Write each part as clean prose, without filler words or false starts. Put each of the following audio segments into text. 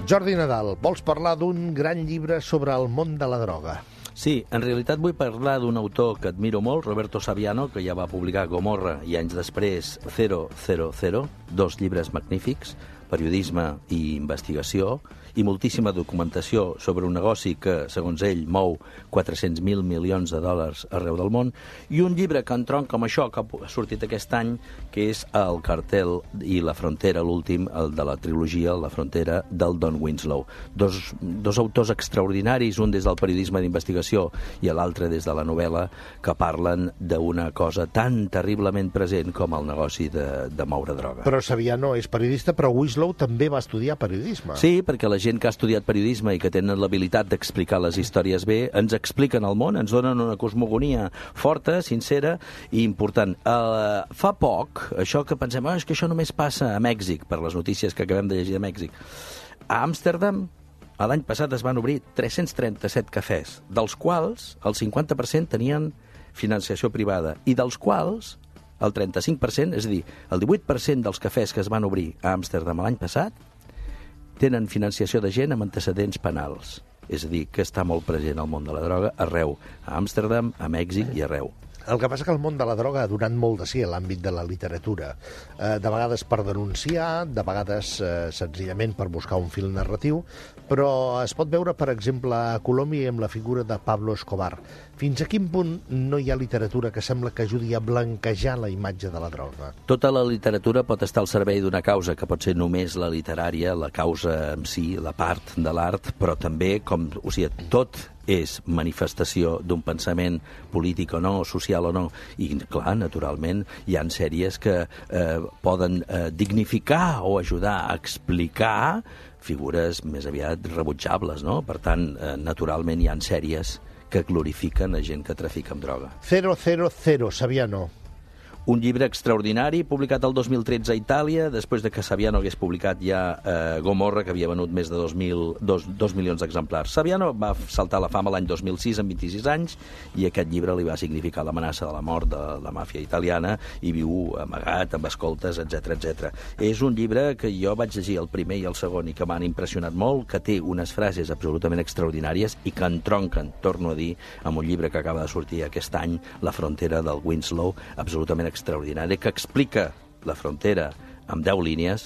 Jordi Nadal, vols parlar d'un gran llibre sobre el món de la droga? Sí, en realitat vull parlar d'un autor que admiro molt, Roberto Saviano, que ja va publicar Gomorra i anys després 000, dos llibres magnífics, periodisme i investigació, i moltíssima documentació sobre un negoci que, segons ell, mou 400.000 milions de dòlars arreu del món, i un llibre que entronca amb això, que ha sortit aquest any, que és El cartel i la frontera, l'últim, el de la trilogia La frontera, del Don Winslow. Dos autors extraordinaris, un des del periodisme d'investigació i l'altre des de la novel·la, que parlen d'una cosa tan terriblement present com el negoci de moure droga. Però Saviano és periodista, però Winslow també va estudiar periodisme. Sí, perquè la gent que ha estudiat periodisme i que tenen l'habilitat d'explicar les històries bé, ens expliquen el món, ens donen una cosmogonia forta, sincera i important. Fa poc, això que pensem, és que això només passa a Mèxic, per les notícies que acabem de llegir de Mèxic. A Amsterdam, l'any passat es van obrir 337 cafès, dels quals el 50% tenien financiació privada, i dels quals el 35%, és a dir, el 18% dels cafès que es van obrir a Amsterdam l'any passat, tenen financiació de gent amb antecedents penals. És a dir, que està molt present al món de la droga arreu, a Amsterdam, a Mèxic i arreu. El que passa que el món de la droga ha donat molt de sí a l'àmbit de la literatura. De vegades per denunciar, de vegades senzillament per buscar un fil narratiu, però es pot veure, per exemple, a Colòmbia amb la figura de Pablo Escobar. Fins a quin punt no hi ha literatura que sembla que ajudi a blanquejar la imatge de la droga? Tota la literatura pot estar al servei d'una causa, que pot ser només la literària, la causa en si, la part de l'art, però també, tot és manifestació d'un pensament polític o no, social o no. I, clar, naturalment, hi ha sèries que poden dignificar o ajudar a explicar figures més aviat rebutjables, no? Per tant, naturalment, hi ha sèries que glorifiquen a gent que trafica amb droga. 000, Saviano. Un llibre extraordinari, publicat el 2013 a Itàlia, després de que Saviano hagués publicat ja Gomorra, que havia venut més de 2 milions d'exemplars. Saviano va saltar a la fama l'any 2006, amb 26 anys, i aquest llibre li va significar l'amenaça de la mort de la màfia italiana, i viu amagat, amb escoltes, etc. És un llibre que jo vaig llegir el primer i el segon i que m'han impressionat molt, que té unes frases absolutament extraordinàries i que entronquen, torno a dir, amb un llibre que acaba de sortir aquest any, La frontera, del Winslow, absolutament extraordinari, que explica la frontera amb 10 línies,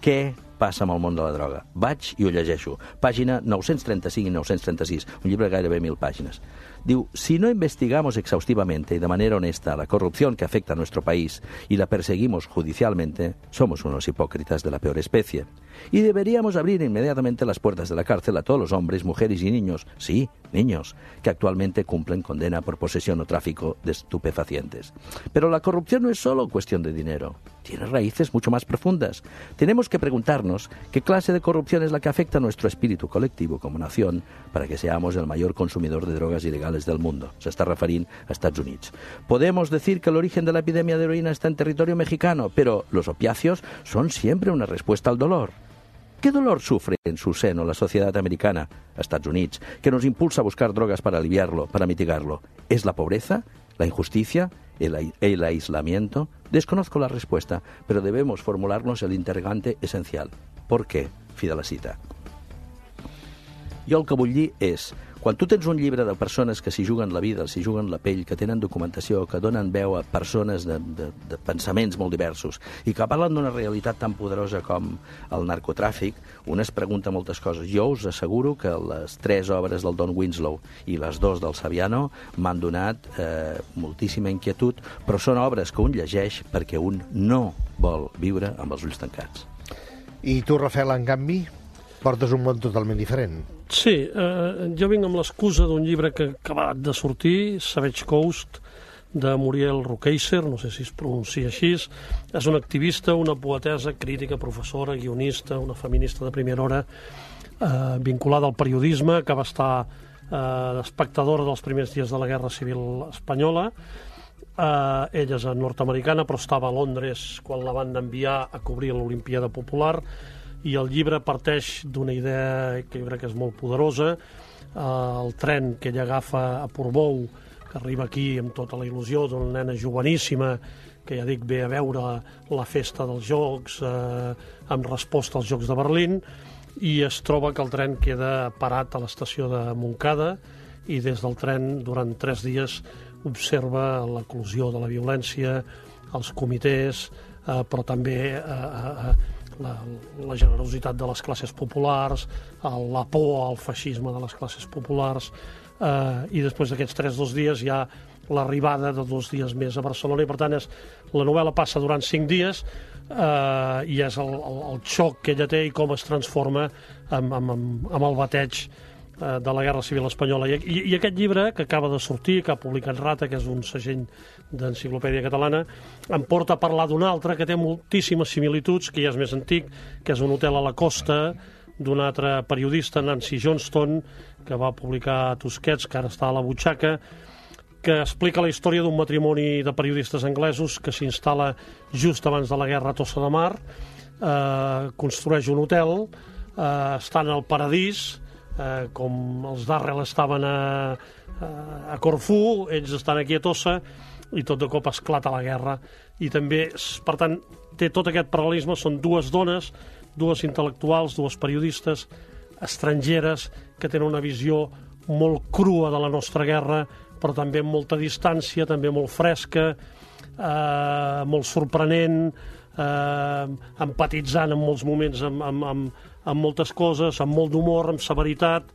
què passa amb el món de la droga. Vaig i ho llegeixo. Pàgina 935 i 936, un llibre de gairebé 1.000 pàgines. Diu, si no investigamos exhaustivamente y de manera honesta la corrupción que afecta a nuestro país y la perseguimos judicialmente, somos unos hipócritas de la peor especie. Y deberíamos abrir inmediatamente las puertas de la cárcel a todos los hombres, mujeres y niños, sí, niños, que actualmente cumplen condena por posesión o tráfico de estupefacientes. Pero la corrupción no es solo cuestión de dinero, tiene raíces mucho más profundas. Tenemos que preguntarnos qué clase de corrupción es la que afecta a nuestro espíritu colectivo como nación para que seamos el mayor consumidor de drogas ilegales del mundo. Se está refiriendo a Estados Unidos. Podemos decir que el origen de la epidemia de heroína está en territorio mexicano, pero los opiáceos son siempre una respuesta al dolor. ¿Qué dolor sufre en su seno la sociedad americana, Estados Unidos, que nos impulsa a buscar drogas para aliviarlo, para mitigarlo? ¿Es la pobreza, la injusticia, el aislamiento? Desconozco la respuesta, pero debemos formularnos el interrogante esencial. ¿Por qué? Fi de la cita. Jo el que vull dir és, quan tu tens un llibre de persones que s'hi juguen la vida, s'hi juguen la pell, que tenen documentació, que donen veu a persones de pensaments molt diversos i que parlen d'una realitat tan poderosa com el narcotràfic, un es pregunta moltes coses. Jo us asseguro que les 3 obres del Don Winslow i les 2 del Saviano m'han donat moltíssima inquietud, però són obres que un llegeix perquè un no vol viure amb els ulls tancats. I tu, Rafael, en canvi, portes un món totalment diferent. Sí, jo vinc amb l'excusa d'un llibre que ha acabat de sortir, Savage Coast, de Muriel Rukeyser, no sé si es pronuncia així. És una activista, una poetessa, crítica, professora, guionista, una feminista de primera hora, vinculada al periodisme, que va estar espectadora dels primers dies de la Guerra Civil Espanyola. Ella és nord-americana, però estava a Londres quan la van enviar a cobrir l'Olimpiada Popular, i el llibre parteix d'una idea que jo crec que és molt poderosa. El tren que ella agafa a Portbou, que arriba aquí amb tota la il·lusió d'una nena joveníssima que ja dic ve a veure la festa dels Jocs amb resposta als Jocs de Berlín, i es troba que el tren queda parat a l'estació de Montcada i des del tren durant 3 dies observa l'eclosió de la violència, els comitès, però també la generositat de les classes populars, la por al feixisme de les classes populars, i després d'aquests 3 dies hi ha l'arribada de 2 dies més a Barcelona, i per tant la novel·la passa durant 5 dies i és el xoc que ella té i com es transforma amb el bateig de la Guerra Civil Espanyola. I aquest llibre, que acaba de sortir, que ha publicat Rata, que és un segell d'enciclopèdia catalana, em porta a parlar d'un altre que té moltíssimes similituds, que ja és més antic, que és Un hotel a la costa, d'un altre periodista, Nancy Johnston, que va publicar Tusquets, que ara està a la butxaca, que explica la història d'un matrimoni de periodistes anglesos que s'instal·la just abans de la guerra a Tossa de Mar, construeix un hotel, estan al paradís, com els Darrell estaven a Corfú, ells estan aquí a Tossa, i tot de cop esclata la guerra. I també, per tant, té tot aquest paral·lelisme, són 2 dones, 2 intel·lectuals, 2 periodistes estrangeres que tenen una visió molt crua de la nostra guerra, però també amb molta distància, també molt fresca, molt sorprenent, empatitzant en molts moments amb moltes coses, amb molt d'humor, amb severitat,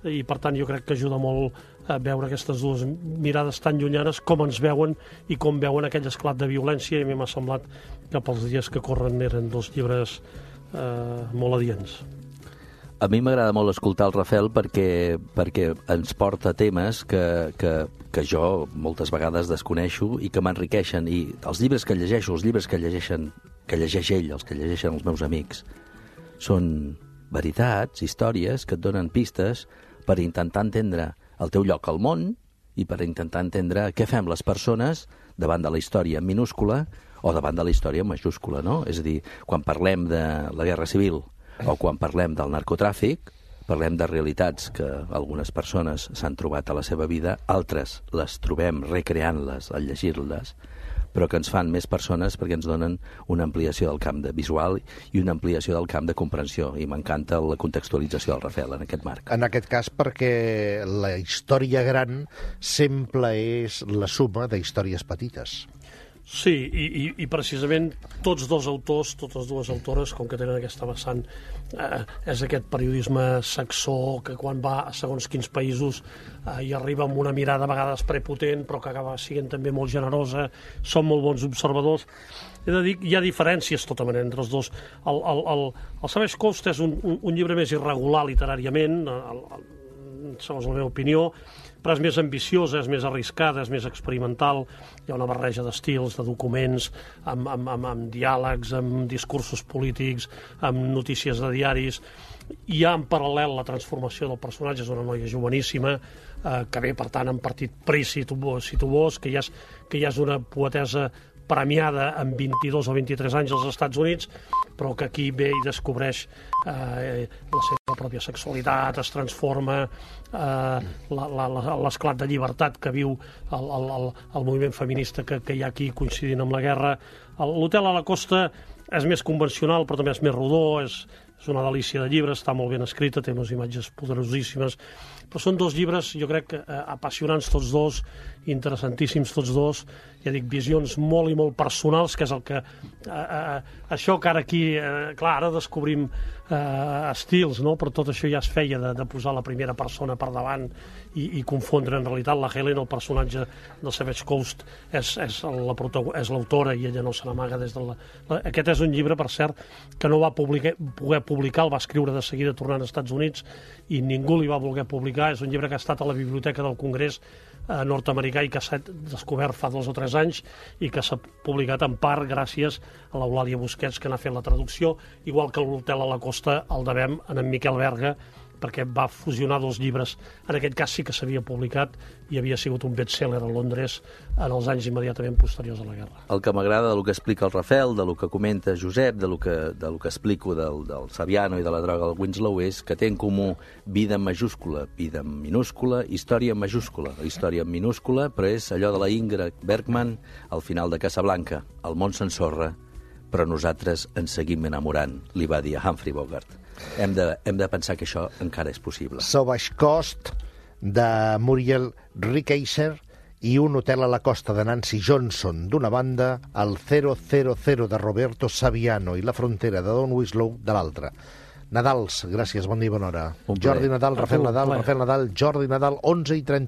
i per tant jo crec que ajuda molt a veure aquestes 2 mirades tan llunyanes, com ens veuen i com veuen aquell esclat de violència, i a mi m'ha semblat que pels dies que corren eren 2 llibres molt adients. A mi m'agrada molt escoltar el Rafael perquè ens porta temes que jo moltes vegades desconeixo i que m'enriqueixen. I els llibres que llegeixo, els llibres que llegeix ell, els que llegeixen els meus amics, són veritats, històries que et donen pistes per intentar entendre el teu lloc al món i per intentar entendre què fem les persones davant de la història minúscula o davant de la història majúscula, no? És a dir, quan parlem de la Guerra Civil o quan parlem del narcotràfic, parlem de realitats que algunes persones s'han trobat a la seva vida, altres les trobem recreant-les al llegir-les, però que ens fan més persones perquè ens donen una ampliació del camp de visual i una ampliació del camp de comprensió, i m'encanta la contextualització del Rafael en aquest marc. En aquest cas perquè la història gran sempre és la suma d'històries petites. Sí, i precisament tots 2 autors, totes 2 autores, com que tenen aquesta vessant, és aquest periodisme saxó que quan va a segons quins països hi arriba amb una mirada a vegades prepotent, però que acaba sent també molt generosa, són molt bons observadors. He de dir que hi ha diferències tota manera entre els 2. El Savage Coast és un llibre més irregular literàriament, segons la meva opinió, però és més ambiciosa, és més arriscada, és més experimental. Hi ha una barreja d'estils, de documents, amb diàlegs, amb discursos polítics, amb notícies de diaris. Hi ha en paral·lel la transformació del personatge, és una noia joveníssima, que ve, per tant, en partit Pris, si tu vols, que ja és una poetesa premiada amb 22 o 23 anys als Estats Units, però que aquí ve i descobreix la seva pròpia sexualitat, es transforma, l'esclat de llibertat que viu el moviment feminista que hi ha aquí coincidint amb la guerra. L'Hotel a la Costa és més convencional, però també és més rodó, és una delícia de llibre, està molt ben escrita, té unes imatges poderosíssimes, però són 2 llibres, jo crec, apassionants tots 2, interessantíssims tots 2, ja dic, visions molt i molt personals, que és el que... això que ara aquí... clar, ara descobrim estils, no? Però tot això ja es feia de posar la primera persona per davant i confondre. En realitat, la Helen, el personatge del Savage Coast, és l'autora i ella no se n'amaga des de la... Aquest és un llibre, per cert, que no va poder publicar, el va escriure de seguida tornant als Estats Units i ningú li va voler publicar. És un llibre que ha estat a la Biblioteca del Congrés nord-americà i que s'ha descobert fa 2 o 3 anys i que s'ha publicat en part gràcies a l'Eulàlia Busquets, que n'ha fet la traducció, igual que l'Hotel a la Costa el devem a en Miquel Berga, perquè va fusionar 2 llibres. En aquest cas sí que s'havia publicat i havia sigut un best-seller a Londres en els anys immediatament posteriors a la guerra. El que m'agrada del que explica el Rafael, del que comenta Josep, del que explico del Saviano i de la droga del Winslow és que té en comú vida en majúscula, vida en minúscula, història en majúscula. La història en minúscula, però és allò de la Ingrid Bergman al final de Casablanca. El món s'ensorra, però nosaltres ens seguim enamorant, li va dir a Humphrey Bogart. Hem de pensar que això encara és possible. Sauvage Coast, de Muriel Rukeyser, i Un hotel a la costa, de Nancy Johnson, d'una banda, el 000 de Roberto Saviano i La frontera, de Don Winslow, de l'altra. Nadals, gràcies, bon dia i bona hora. Un plaer. Jordi Nadal, Rafael Nadal, Jordi Nadal, 11:30.